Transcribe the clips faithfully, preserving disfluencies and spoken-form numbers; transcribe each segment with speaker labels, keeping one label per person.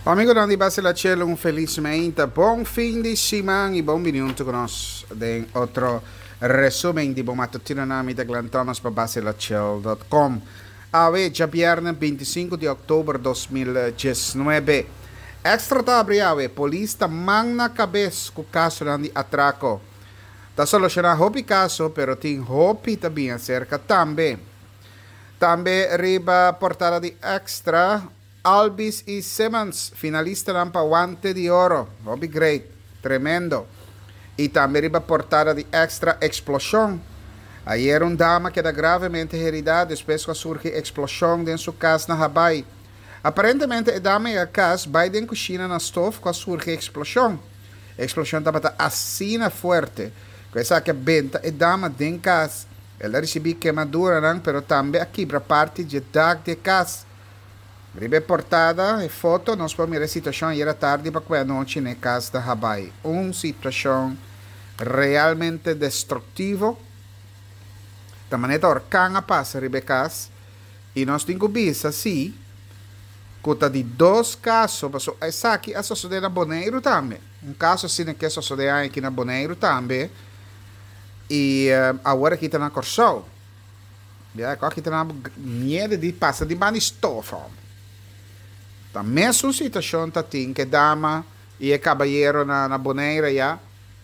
Speaker 1: Amigonan di Basila Chelo, un felis meinta. Bon fin di siman i bon bini huntu ku nos den otro resumen di bo matutino. Na mi ta Glenn Thomas pa basilachel punto com. Awe, djabièrnè binti sinku di òktober dos mil diesnuebe. Extra ta abri awe, polis ta man na kabes ku kasonan di atrako. Ta solushoná hopi kaso, pero tin hopi ta bin aserka tambe. Tambe riba portada di Extra, Albies i Simmons, finalistanan pa Guante di Oro. Hopi great, tremendo. I tambe riba portada di Extra, eksploshon. Ayer un dama keda gravemente heridá despues ku a surgi eksploshon den su kas na Habaai. Aparentemente e dama yega kas, bai den kushina na stof ku a surgi eksploshon. E eksploshon tabata asina fuerte ku esaki a benta e dama den kas. El a risibí kemaduranan pero tambe a kibra parti dje dak di e kas. Riba e portada, e foto, nos por mira e situashon ayer atardi pa kue anochi na e kas na Habaai. Un situashon realmente destruktivo. Ta manera ta orkan a pasa riba e kas i nos tin ku bisa si ku ta di dos kaso, pasobra esaki a sosodé na Boneiru tambe. Un kaso asina ke sosodé aña aki na Boneiru tambe i awor aki ta na Kòrsou. Ya, ku aki ta na miedo di pasa di banda di stof, hòmber. Ta mesun situashon ta tin ku e dama i e kabayero na na Boneiru ya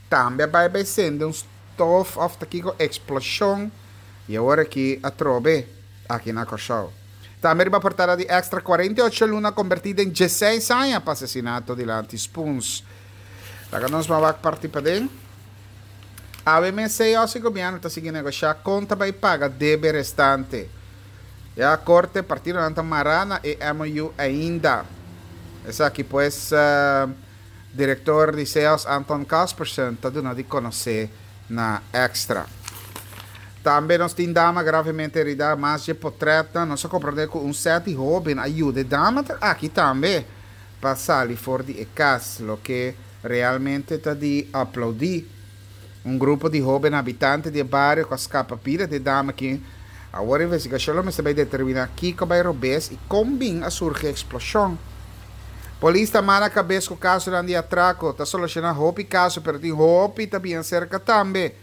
Speaker 1: tambe a bai bai sende un stof òf ta kiko eksploshon i awor aki atrobe aki na Kòrsou. Tambe riba portada di Extra, kuarenta i ocho luna kombertí den diesseis aña pa asesinato dilanti Spoons. Laga nos ban wak parti paden. Awe mes C E Os i gobièrnu ta sigui negoshá kon ta bai paga debe restante. Ya korte partidonan ta mará na e M O U ainda. Esaki pues direktor di C E O S Anton Kaspersen ta duna di konosé na Extra. Tambe nos tin dama gravemente heridá, mas dje potrètnan. Nos a komprondé ku un sèt di hóben a yuda e dama aki tambe pa sali for di e kas, loke realmente ta di aplaudí. Un grupo di hóben habitante di e bario ku a skapa bida di e dama aki. Awor investigashon lo mester bai determiná kiko bai robes i kon bin a surgi e eksploshon. Polis ta mala kabes ku kasonan di atrako. Ta solushoná hopi kaso, pero tin hopi ta bin aserka tambe.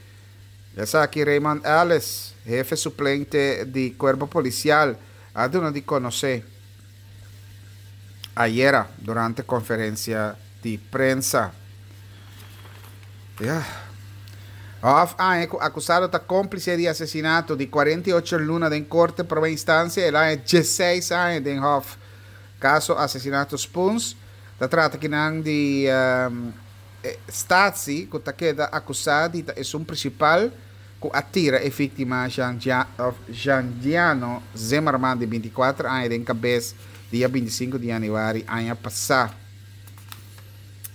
Speaker 1: Esaki Raymond Ellis, hefe suplente di Kuerpo Polisial, a duna di konosé ayera durante konferensia di prensa. Ya. Hof a haña ku akusado ta kómplise di asesinato di kuarenta i ocho luna den korte promé instansia, el a haña diesseis aña den hof. Kaso asesinato Spoons ta trata kinan di Statie ku ta keda akusá di ta esun prinsipal ku a tira e víktima Jeandiano Zimmerman di binti i kuater aña den kabes dia binti i sinku di yanüari aña pasá.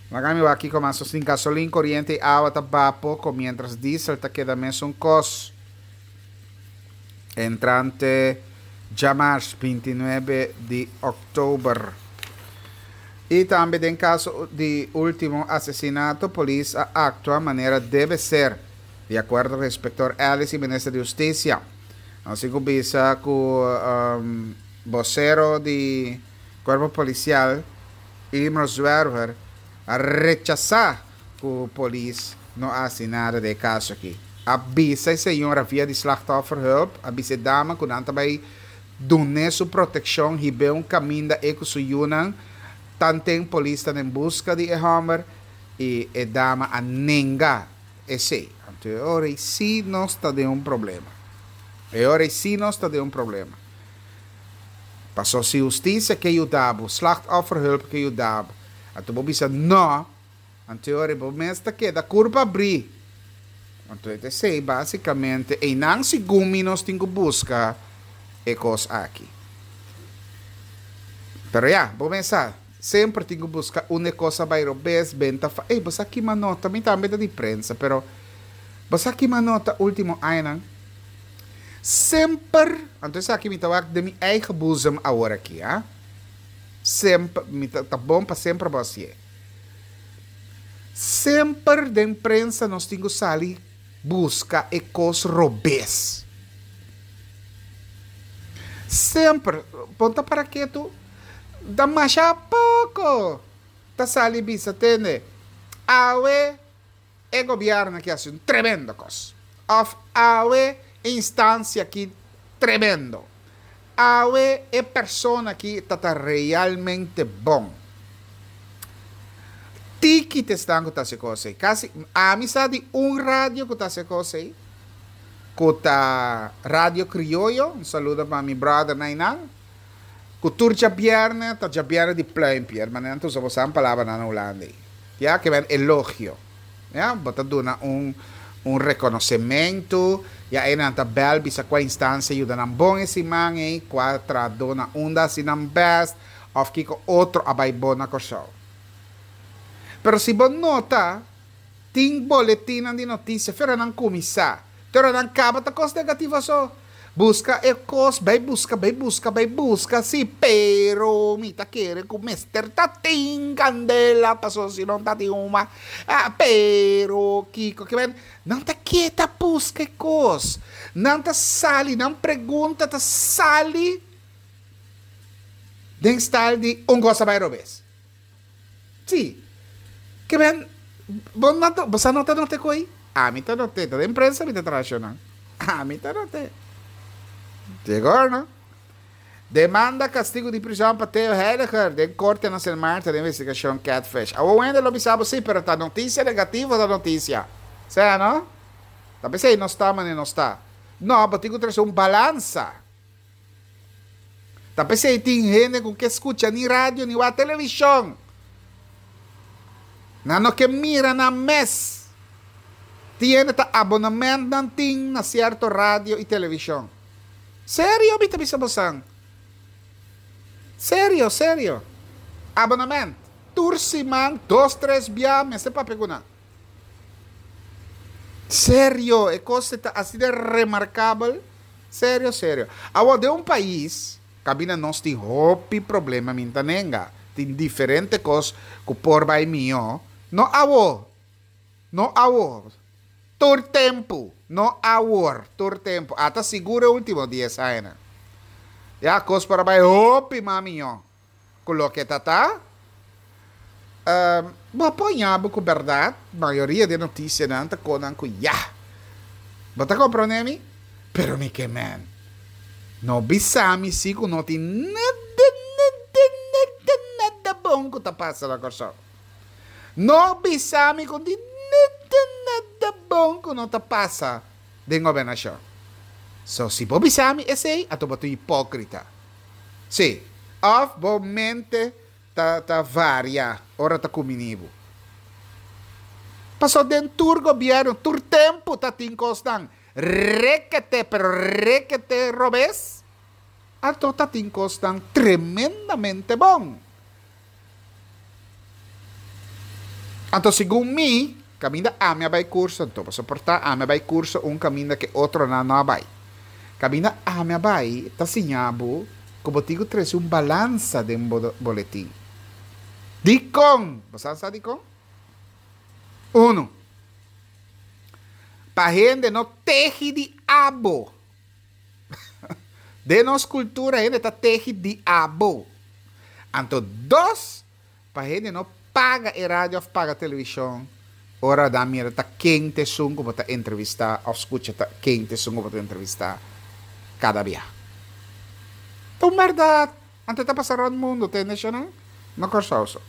Speaker 1: Laga mi wak kiko mas nos tin. Gasolin, koriente i awa ta baha poko miéntras diesel ta keda mesun kos. Entrante djamars binti i nuebe di òktober. I tambe den kaso di último asesinato polis a aktua manera debe ser, di akuerdo ku inspektor Ellis i minister di hustisia. Nos tin ku bisa ku bosero di kuerpo polisial Imro Zwerver a rechasá ku polis no a hasi nada den e kaso aki. A bisa e señora via di Slachtofferhulp, a bisa e dama ku nan ta bai dun'é su protekshon, hib'é un kaminda e ku su yunan, tanten polis ta den buska di e hòmber i e dama a nenga esei. Anto e ora ei sí nos ta den un problema. E ora ei sí nos ta den un problema. Paso si hustisia ke yuda bo, Slachtofferhulp ke yuda bo, anto bo bisa no, anto e ora ei bo mes ta keda kurpa abrí. Anto e ta esei básikamente einan segun mi nos tin ku buska e kos aki. Pero ya, bo mes sa, semper tin ku buska unda e kos a bai robes, benta fa, ey, bo sa kima nota, mi tambe ta di prensa, pero bo sa kima nota último añanan? Semper, anto esaki mi ta wak den mi eigen boezem awor aki, a. Semper, mi ta, ta bon pa semper bo hasié. Semper den prensa nos tin ku sali buska e kos robes. Semper, bo ta para ketu, Ta masha poko ta sali bisa tende. Awe e gobièrnu aki hasi un tremendo kos. Òf awe instansia aki tremendo. Awe e persona aki ta ta realmente bon. Tiki ta esnan ku ta hasi kos ei. Kasi ami sa di un radio ku ta hasi kos ei, ku ta Radio Krioyo, un saludo pa mi brother Nainan, ku tur djabièrnè ta djabièrnè di pluimpje, hermano, nan ta usa bosan palabranan na Hulanda ei. Ya, ke men elogio. Ya, bo ta duna un un rekonosementu, ya einan ta bèl bisa kua instansia yuda nan bon e siman ei, kua trahadó na unda hasi nan bèst, òf kiko otro a bai bon na Kòrsou. Pero si bo nota, tin boletinnan di notisia fera nan kuminsá, te ora nan kaba ta kos negativo so. Buska e kos, bai buska, bai buska, bai buska, sí, pero mi ta kere ku mester ta tin kandela paso si no ta tin huma. Ah, pero kiko ke men, nan ta keda buska e kos, nan ta sali, nan pregunta ta sali den style di un kos a bai robes. Sí, ke men, bo no ta, bo sa no ta nota e kos ei? Ami ta not'é, ta den prensa mi ta traha shonnan. Ami ta not'é. Sigur no. Demanda kastigu di prison pa Theo Heiliger den korte na Sint Maarten den investigashon Catfish. Awor wende lo bisa bo si, pero ta notisia negativo ta notisia. Sea no? Ta p'esei nos ta manera nos ta. No, bo tin ku trese un balansa. Ta p'esei tin hende ku ke skucha ni radio ni wak televishon. Nan no ke mira nan mes. Tin hende ta abonament nan tin na sierto radio i televishon. Serio mi ta bisa bosan. Serio, serio. Abonament. Tur siman dos tres bia mester papia ku nan. Serio, e kos ta asina remarkabel. Serio, serio. Awor den un pais kaminda nos tin hopi problema mi ta nenga. Tin diferente kos ku por bai mihó. No awor, no awor. Tur tempu, no awor, tur tempu. Ata sigur e último dies añanan. Ya kos por a bai hopi mas mihó ku loke ta ta. Bo a poña bo ku bèrdat mayoria di e notisianan ta konan ku ya. Bo ta komprondé mi? Pero mi ke men. No bisa mi si ku no tin nada, nada, nada, nada bon ku ta pasa na Kòrsou. No bisa mi ku no tin nada, nada bon ku no ta pasa den gobernashon. So si bo bisa mi esei, anto bo ta un hipókrita. Sí. Òf bo mente ta ta varia ora ta kumini bo. Paso den tur gobierno, tur tempu ta tin kosnan rekete pero rekete robes, anto ta tin kosnan tremendamente bon. Anto segun mi, kaminda ami a bai kurso, anto bo soportá, ami a bai kurso un kaminda ke otronan no a bai. Kaminda ami a bai ta siña bo ku bo tin ku trese un balansa den bo boletin. Dikon? Bo sa sa dikon? Unu, pa hende no tehi di abo. Den nos kultura hende ta tehi di abo. Anto dos, pa hende no paga e radio òf paga televishon ora nan mira ta ken ta esun ku bo ta entrevistá òf skucha ta ken ta esun ku bo ta entrevistá kada bia. Ta un bèrdat. Anto ta pasa rònt mundu, tende shonnan? No Kòrsou so.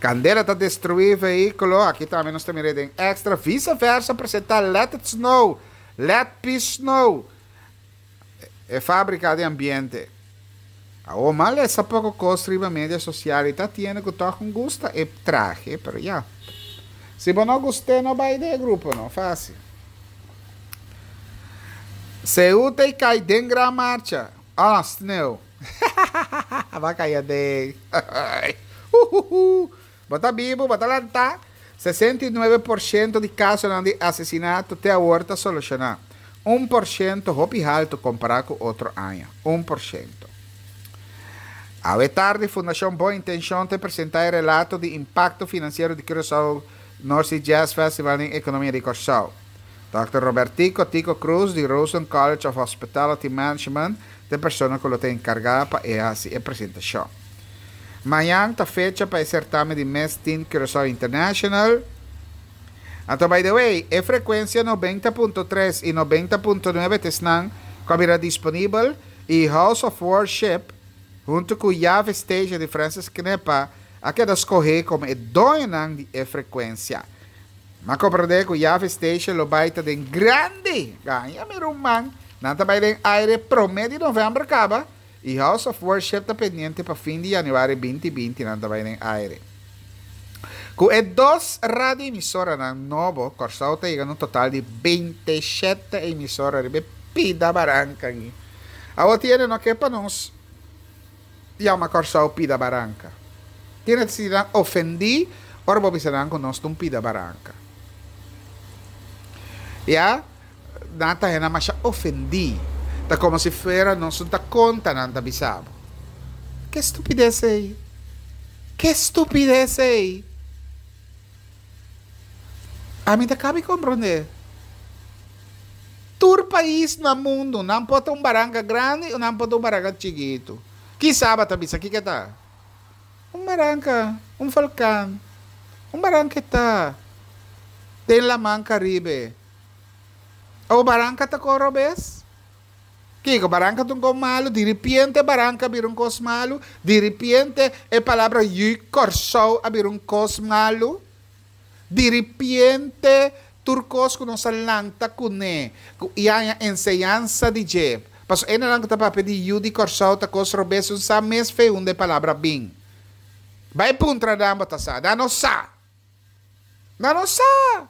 Speaker 1: Kandela ta destruí vehíkulo, aki tambe nos ta mira den Extra. Visa Versa presentá Let It Snow, Let Peace Snow. E fábrika di ambiente. Awor m'a lesa poko kos riba media sosial i ta tiende ku tòg un gusta e trahe, pero ya. Si bo no gust'é no bai den e grupo no, fásil. Ceuta i kai den gran marcha. Ah, sneu. Ba kai aden. Huhuhu. Bo ta bibu, bo ta lantá. Sesenta i nuebe por shento di kasonan di asesinato te awor ta solushoná. Un por shento hopi haltu kompará ku otro aña. Un por shento. Awe tardi Fundashon Bon Intenshon ta presentá e relato di impakto finansiero di Curaçao North Sea Jazz Festival den ekonomia di Kòrsou. Dòkter Robertico Tico Cruz di Roseland College of Hospitality Management ta e persona ku lo ta enkargá pa e hasi e presentashon. Mañan ta fecha pa e certamen di Miss Teen Curaçao International. Anto, by the way, e frecuencia noventa punto tres y noventa punto nuebe ta esnan cu a disponibel y House of Worship hunto cu Yave Station di Francis Knepa a keda scoge como e doño di e frecuencia. M'a comprende cu Yave Station lo bay ta den grandi. Gaña mi ruman. Nan ta bay den aire prome di november caba. Y House of Worship ta pendiente pa fin di januari dos mil binti nan ta bay den aire. Cu e dos radio emisora nan nobo, Corsou ta yegando un total di binti shete emisora di pida baranca aki. Awor tin no kier pa nos yama Corsou pida baranca. Tin ta sinti ofendi, ora bo bisa cu nos ta un pida baranca. Ya, nan ta hende mas ofendi. Ta como si fuera nos ta conta nan ta bisa bo. Ki estupidez ey? Ki estupidez ey? Ami ta caba di comprende. Tur pais na mundo, nan por ta un baranca grandi of nan por ta un baranca chikito. Ki sabe ta bisa, kico ta? Un baranca, un volcan. Un baranca ta. Den Laman Caribe. O baranca ta coro bes? Kiko, baranca ta un cos malo, di repente baranca bira un cos malo, di repente e palabra yu Corsou a bira un cos malo, di repente tur cos cu nos a lanta cune, y a enseñansa di dje. Paso e nan ta papia di yu di Corsou ta cos robes, un sa mes fe unda e palabra bin. Bay puntra nan, bo ta sa, nan no sa. Nan no sa.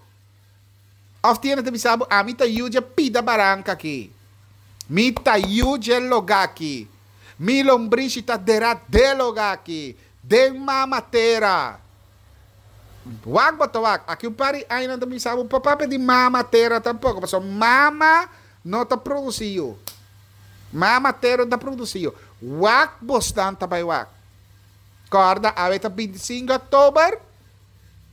Speaker 1: Of tin ta bisa bo, ami ta yu di pida baranca aki. Mi ta yu di luga aki. Mi lombrishi ta dera den luga aki. Den mama tera. Wak bo ta wak. Aki un par di aña ta bisa bo, papia di mama tera tampoco. Paso mama no ta produci. Mama tera ta produci. Wak bosnan ta bay wak. Corda, awe ta binti sinku october.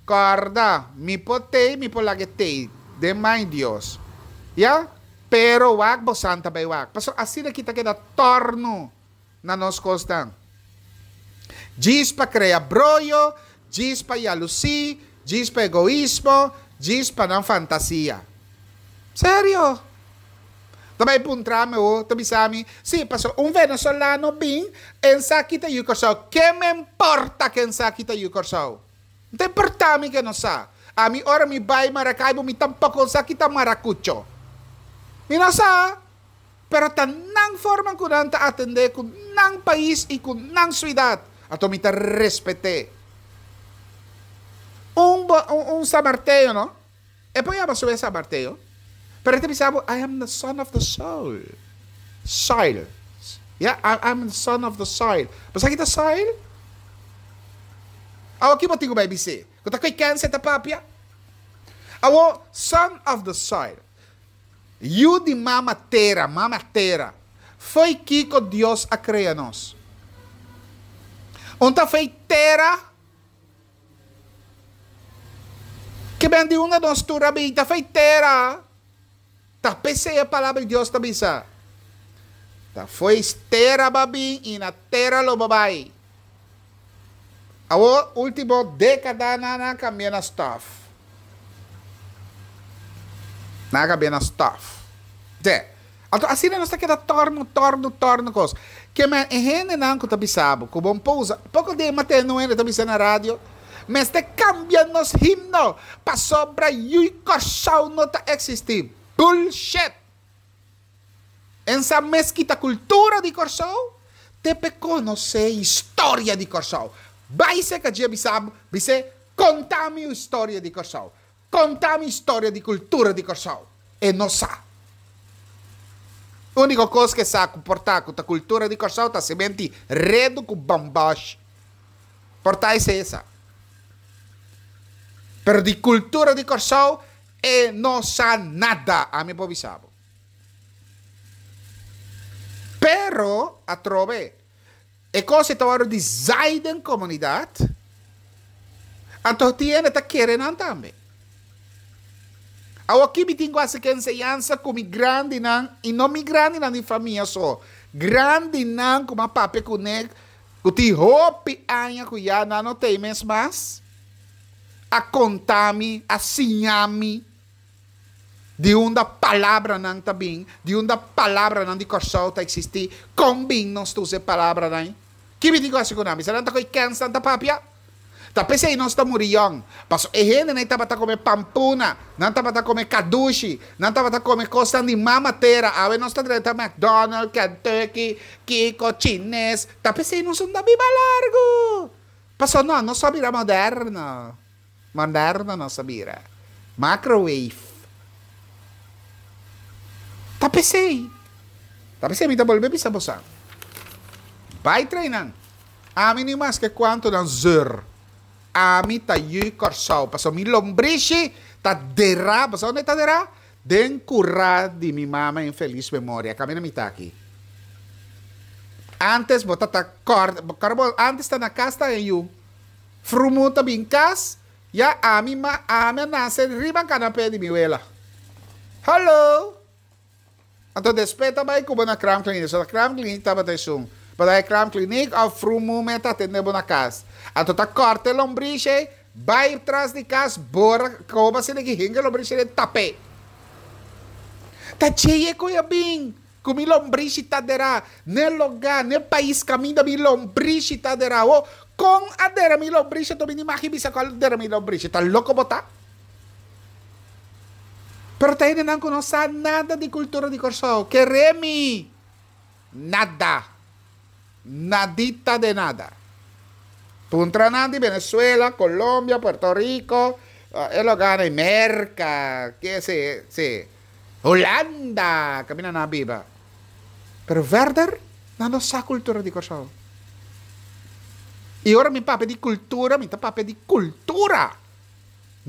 Speaker 1: Corda, mi por tey, mi por laga tey. Den man Dios. Ya? Pero wak bosnan ta bay wak. Paso asina aki ta keda torno na nos costa. Djis pa crea broyo, djis pa jaloezie, djis pa egoismo, djis pa nan fantasia. Serio? Tambe puntra mi o, tambe sabi, si, paso un venezolano bin, e n' sa ki ta yu Corsou. Ke me importa cu e n' sa ki ta yu Corsou? No ta importa mi cu e no sa. Ami ora mi bay Maracaibo, mi tampoco sa ki ta maracucho. Mi no sa. Pero ta nan forma cu nan ta atende cu nan pais y cu nan ciudad. Anto mi ta respeta. Un, un, un samarteo, no? E por yama su samarteo. Pero e ta bisa, "I am the son of the soul." Soil. Yeah, I, I'm the son of the soil. Mas aki ta soil? Awo aki bo tin ku bay bisa. Ku ta koi kense ta papia? Awo, son of the soil. Yu di mama tera, mama tera. Foi kiko Dios a crea nos. N' ta foi tera? Ke men di unda nos tur a bin, ta foi tera. Ta p'esey e palabra di Dios ta bisa. Ta foi tera b'a bin y na tera lo bo bay. Awo ultimo decada nan a cambia na stof. Nan a cambia na stof. Te. Anto asina nos ta keda torno, torno, torno cos. Ke men e hende nan cu ta bisa bo, cu bon pousa. Poco di mate no hende ta bisa na radio. Mester cambia nos himno. Pasobra yu Corsou no ta existi. Bullshit! E n' sa mes ki ta cultura di Corsou, te p'e conoce historia di Corsou. Bay seca dje bisa bo, bis'e conta mi historia di Corsou. Conta mi historia di cultura di Corsou. E no sa. Unico cos cu e sa cu por ta cu ta cultura di Corsou ta sementi redo cu bambash. Por ta esey e sa. Pero di cultura di Corsou e no sa nada. Ami por bisa bo. Pero, atrobe, e cos ta worde di zaai den comunidad, anto tin hende ta kere nan tambe. Awo aki mi tin cu haci cu enseñansa cu mi grandinan, y no mi grandinan di famia so, grandinan cu m'a papia cu ne, Ku tin hopi aña ku ya nan no t'ei mes mas, a konta mi, a siña mi di unda palabranan ta bin, di unda palabranan di Kòrsou ta eksistí, kon bin nos ta usa e palabranan ei. Ki mi tin ku hasi ku nan? Bisa nan ta ko'i kèns nan ta papia? Ta p'esei nos ta muri yòn. Paso e hendenan ei tabata kome pampuna, nan tabata kome kadushi, nan tabata kome kosnan di mama tera. Awe nos ta drenta McDonald, Kentucky, kiko, chines. Ta p'esei nos no ta biba largu. Paso no, nos a bira moderno. Moderno nos a bira. Microwave. Ta p'esei. Ta p'esei mi ta bolbe bisa boso. Bai train nan. Ami ni maske kuantu nan zeur. Ami ta yu Kòrsou. Paso mi lombrishi ta derá. Paso unda ta derá? Den kurá di mi mama en felis memoria. Kaminda mi ta aki. Antes bo ta kòrda, bo antes ta na kas ta e yu. Frumu ta bin kas, ya ami ma ami a nase riba kanapé di mi wela. Hallo! Anto despues ta bai ku bo na kraamkliniek. So na kraamkliniek tabata esun. Bo ta bai kraamkliniek òf frumu mes ta atendé bo na kas. Anto ta kòrta e lombrishi, bai tras di kas, bora koba asina ki hinka e lombrishi den tapé. Ta djei e ku a bin ku mi lombrishi ta derá n'e lugá, n'e pais kaminda mi lombrishi ta derá. Ho, kon a dera mi lombrishi? Anto mi ni magi bisa ku a dera mi lombrishi. Ta loko bo ta? Pero ta hendenan ku no sa nada di kultura di Kòrsou. Keré mi! Nada. Nadita de nada. Puntra nan di Venezuela, Colombia, Puerto Rico, e lugánan, Merka, ke si, si, Hulanda, kaminda nan a biba. Pero verder, nan no sa kultura di Kòrsou. I ora mi papia di kultura, mi ta papia di kultura.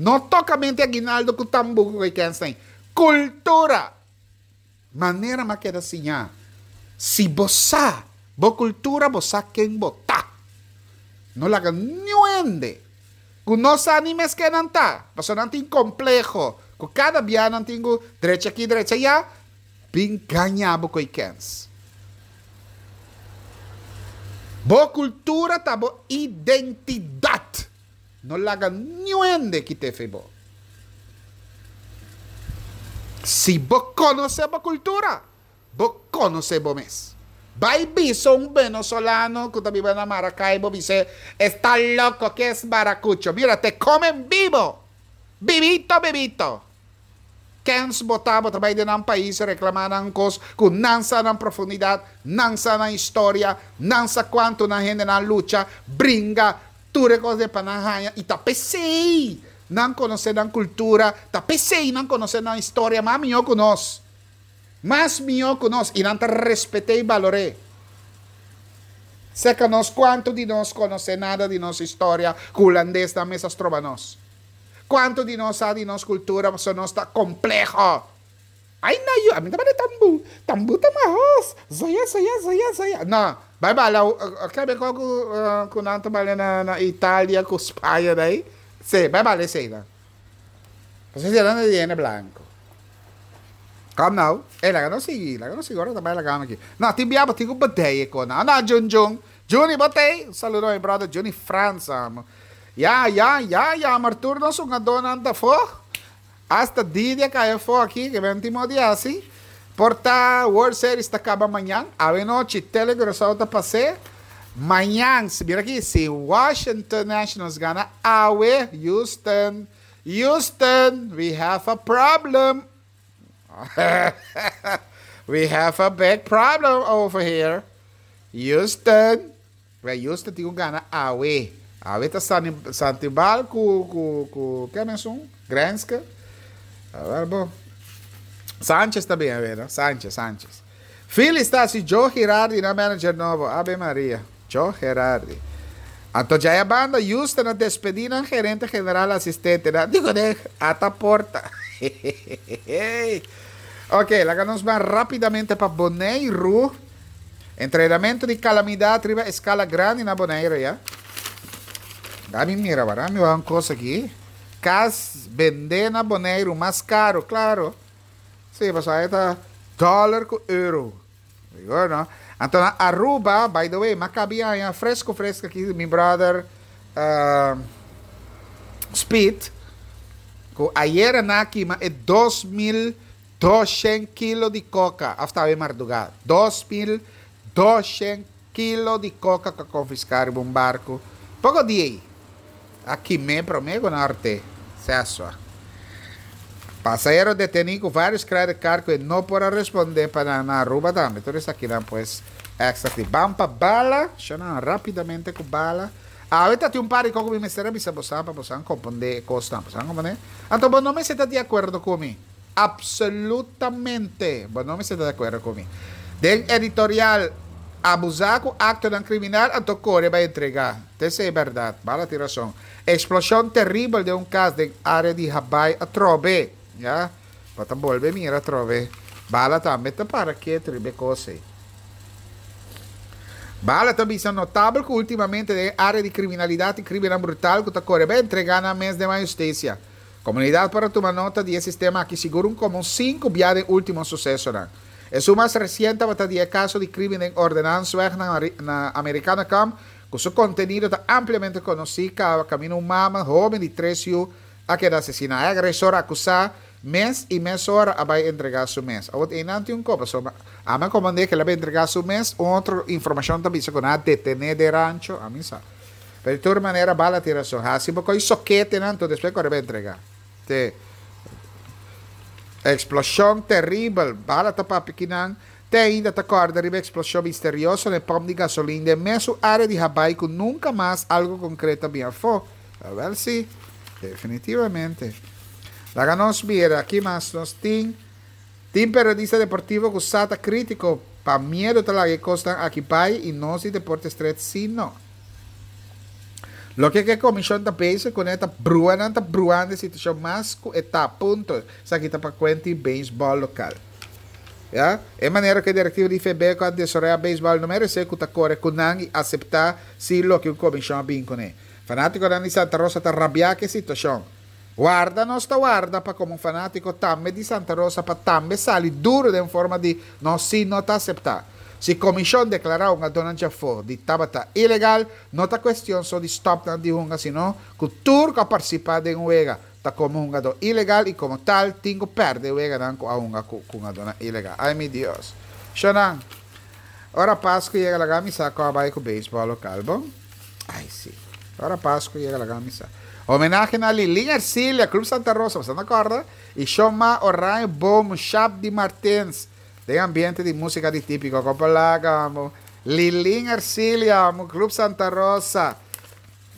Speaker 1: No tokamente aguinaldo ku tambú ku kènsnan. Kultura! Manera m'a keda siña, si bo sa bo kultura bo sa ken bo ta. No laga niun hende ku no sa ni mes ken nan ta, pasobra nan tin kompleho ku kada bia nan tin ku drecha aki drecha aya, bin gaña bo ku e kens. Bo kultura ta bo identidat. No laga niun hende kit'é fe bo. Si bo konosé bo kultura, bo konosé bo mes. Bai bisa un venezolano ku ta biba na Maracaibo, bis'é, Esta loko, ke es maracucho? Mira, te comen vivo! Bibito, bibito! Kens bo ta, bo ta bai den nan pais reklamá nan kos ku nan sa nan profundidat, nan sa nan historia, nan sa kuantu nan hendenan lucha, bringa, Tur e kos den pa nan haña i ta p'esei nan konosé nan kultura, ta p'esei nan konosé nan historia mas mihó ku nos. Mas mihó ku nos i nan ta respet'é i balor'é. Seka nos kuantu di nos konosé nada di nos historia ku hulandesnan mes a stroba nos? Kuantu di nos sa di nos kultura pasobra nos ta kompleho? Ay na yu, ami ta bale tambu, tambu ta mahos, zoya zoya zoya zoya. No, bai bala, kebe ko ku ku nan ta bale na na Italia ku Spaña dai? Si, bai bala esei nan. Pasobra esei nan ta di hende blanco. Kom nou, ey laga nos sigui, laga nos sigui, ora ta bai laga aki. No, tin bia bo tin ku bedei e konan. Anda Jun Jun, Juni bo t'ey? Un saludo mi brother Juni Frans amo. Ya, ya, ya, jammer tur nos hungadónan ta afó. Hasta Didi a kai afó aki, ke ben tin modo di hasi. Por ta World Series ta kaba mañan. Awe nochi Tele Curaçao ta pas'é. Mañan, si mira aki, si Washington Nationals gana awe, Houston, Houston, we have a problem. We have a big problem over here. Houston. Wè Houston tin ku gana awe. Awe ta Sani Santibal ku ku ku ken esun? Grenske? Awel bo. Sanchez ta bin awe no? Sanchez, Sanchez. Phillies ta hasi Joe Girardi nan manager nobo. Ave Maria. Joe Girardi. Anto djaya banda Houston a despedí nan gerente general asistente. Nan di kuné ata porta. Ok, laga nos ban rápidamente pa Boneiru. Entrenamentu di kalamidat riba eskala grandi na Bonaire ya. Dami mira wak, dami wak un kos aki. Kas bendé na Boneiru mas karu, klaro. Sí, pasobra e ta dòler ku euro. Rigor no. Anto na Aruba, by the way, m'a kaba haña fresku fresku aki, mi brother uh, Speed, ku ayera nan a kima e dos mil doshent kilo di koka, òf ta mardugá, dos mil doshent kilo di koka ku a konfiská un barku. Poko dia aki me promé norte, sesua. Pasahero detení ku vários credit card ku no por a respondé pa na Aruba tambe. Tur esaki nan pues extra. Ban pa bala, shona rápidamente ku bala. Awor tin un par di kos ku mi mester bisa boso pa boso komprondé kos, boso komprondé. Anto, bo no mester ta di akuerdo ku mi. Absolutamente. Bo no mester ta di akuerdo ku mi. Den editorial abusá ku akto kriminal, anto kore bai entregá. Esei ta berdat. Bala tin rason. Eksploshon teribel den un kas den área di Habai atrobe. Ya? Pa bolbe mira atrobe. Bala tambe ta para ketu riba kos. Bala tambe ta notabel ku últimamente den área di kriminalidat i krimen brutal ku ta kore bai entregá nan mes den hustisia. Komunidat por tuma nota di e sistema aki sigur un komo sinku bia di último suseso. No? E mas resiente tabata e kaso di krimen den Ordinansweg na, na Americana Camp, ku su kontenido ta ampliamente konosí, kaminda un mama hóben di tres yu a keda asesiná. E agresor akusá mes i mesora a bai entregá su mes. Awor, ei tin un kopa, so, ami a komprondé ku el a bai entregá su mes, otro informashon tambe ku nan a detené den Rancho, ami sa. Pero di tur manera, Bala tin rason. Hasi poko sokete, no, despues kore bai entregá. Te eksploshon teribel, bala ta papikinan, te ainda ta kòrda riba eksploshon misterioso na pòmp di gasolin den mesun área di Habai ku nunka mas algu konkreto a bin afó. Wel si, definitivamente. Laga nos mira, aki mas nos tin tin periodista deportivo ku sa ta krítiko pa miedu ta laga kos aki bai i nos di Deporte Street si no. Loke ku e komishon ta pensa ku ta brua nan ta bruando e situashon mas ku e ta punto. Esaki ta pa kuenta beisbòl lokal. Ya? E manera ku e direktiva di F B a desaroyá beisbòl no meresé ku ta kore ku nan i aseptá si loke e komishon bin kuné. Fanátiko di Santa Rosa ta rabiá ku e situashon. Warda nos ta warda pa komo fanátiko tambe di Santa Rosa pa tambe sali duru den forma di nos si no ta aseptá. Si komishon deklará un hungadó afó di tabata ilegal, no ta kuestion so di stòp nan di hunga, sino ku tur ku partisipá den wega ta komo hungadó ilegal i komo tal tin ku pèrdè wega nan ku hunga ku hungadó ilegal. Ai mi Dios. Shonan. Ora Pasku yega laga mi sa kon bai ku beisbòl lokal, bon? Ai si. Ora Pasku yega laga mi sa. Homenahe na Lilin Ercilia, Club Santa Rosa, bo ta kòrda? I Shoma Oranje Boom, Shap di Martins. Den ambiente di músika di típiko, Kopalaga, Lilin Ercilia, Club Santa Rosa.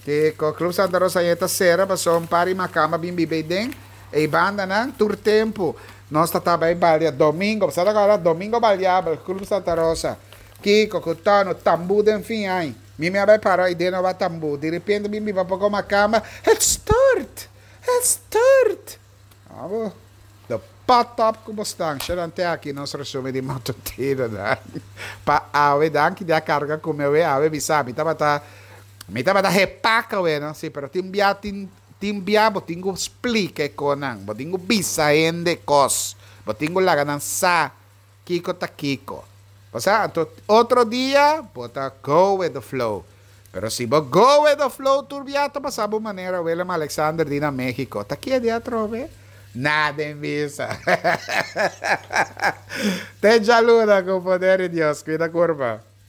Speaker 1: Ku Club Santa Rosa ta sera, pasó un par di makamba bin biba den. E banda nan, tur tempu. Nos ta bai balia domingo, sabe awor domingo baliabel, Club Santa Rosa. Kiko, Kutano, tambu den fin ai. Mi mi bai para i den ba tambu. Di repente mi mi poko makamba. Het stort. Het stort. Abo. De pot op ku bostan. Te aki nos resumen di matutino. Pa awe, danki di a karga ku mi awe, mi sabi, tabata mi tabata repaka we, no? Si, pero tin bia tin tin bia bo tin ku splika kosnan, bo tin ku bisa hende kos, bo tin ku laga nan sa kiko ta kiko. Osea, otro dia, bo ta go with the flow. Pero si bo go with the flow, tur bia ta pasa bo manera Willem Alexander di na México. Ta ki dia atrobe? Nada en vista. Te djaluna ku poder di Dios. Kuida kurpa.